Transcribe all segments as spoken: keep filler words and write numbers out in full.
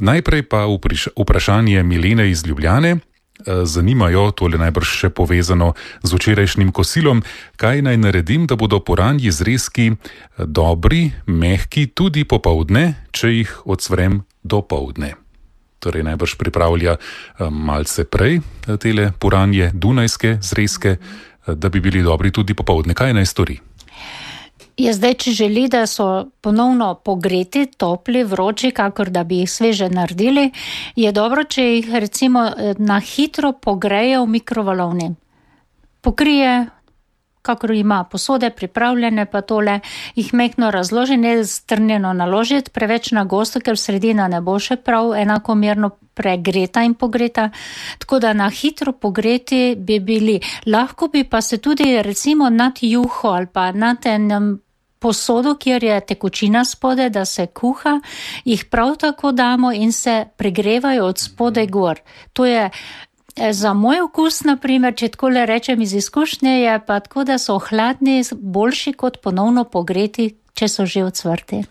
Najprej pa vprašanje Milene iz Ljubljane. Zanimajo, tole najbrž še povezano z včerajšnjim kosilom, kaj naj naredim, da bodo puranji zrezki dobri, mehki tudi popoldne, če jih odsvrem dopoldne. Torej najbrž pripravlja malce prej tele puranje dunajske zrezke, da bi bili dobri tudi popoldne. Kaj naj stori? Je zdaj, če želi, da so ponovno pogreti, topli, vroči, kakor da bi jih sveže naredili, je dobro, če jih recimo na hitro pogreje v mikrovalovni. Pokrije, kakor ima posode pripravljene, pa tole jih mehko razloži, ne strnjeno naložiti, preveč na gosto, ker sredina ne bo še prav enakomerno pregreta in pogreta, tako da na hitro pogreti bi bili. Lahko bi pa se tudi recimo nad juho ali pa nad enem posodo, kjer je tekočina spode, da se kuha, jih prav tako damo in se pregrevajo od spode gor. To je za moj okus, naprimer, če tako le rečem iz izkušnje, je pa tako, da so hladni boljši kot ponovno pogreti, če so že ocvrti.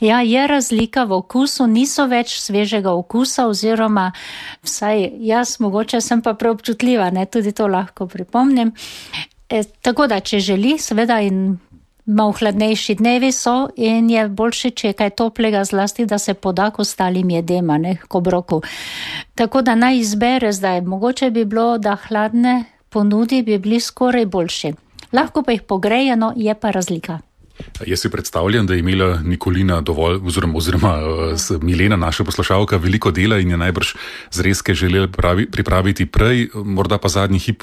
Ja, je razlika v okusu, niso več svežega okusa oziroma vsaj jaz mogoče sem pa preobčutljiva, ne, tudi to lahko pripomnim. E, tako da, če želi, seveda in malo hladnejši dnevi so in je boljše, če je kaj toplega zlasti, da se poda k ostalim jedema, ne, k obroku. Tako da naj izbere zdaj, mogoče bi bilo, da hladne ponudi bi bili skoraj boljši. Lahko pa jih pogrejeno, je pa razlika. Jaz si predstavljam, da je imela Nikolina dovolj, oziroma, oziroma Milena, naša poslušalka, veliko dela in je najbrž zrezke želela pravi, pripraviti prej, morda pa zadnji hip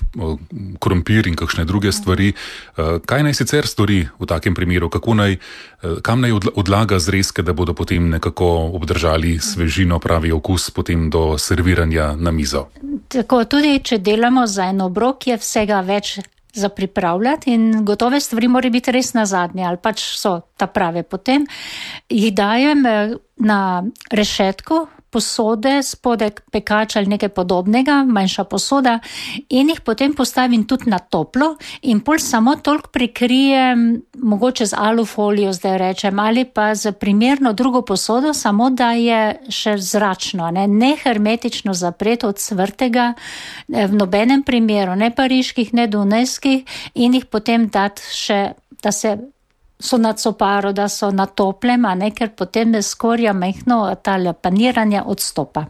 krompir in kakšne druge stvari. Kaj naj sicer stori v takem primeru? Kako naj, kam naj odlaga zrezke, da bodo potem nekako obdržali svežino, pravi okus potem do serviranja na mizo? Tako, tudi če delamo za en obrok, je vsega več za pripravljati in gotove stvari morajo biti res na zadnje ali pač so ta prave. Potem jih dajem na rešetko posode, spodaj pekač ali nekaj podobnega, manjša posoda in jih potem postavim tudi na toplo in pol samo toliko prikrijem, mogoče z alufolijo zdaj rečem, ali pa z primerno drugo posodo, samo da je še zračno, ne, ne hermetično zapreto od svrtega v nobenem primeru, ne pariških, ne dunajskih in jih potem dati še, da se so na coparo, da so na toplem, a ne, ker potem skorja mehno tale paniranje odstopa.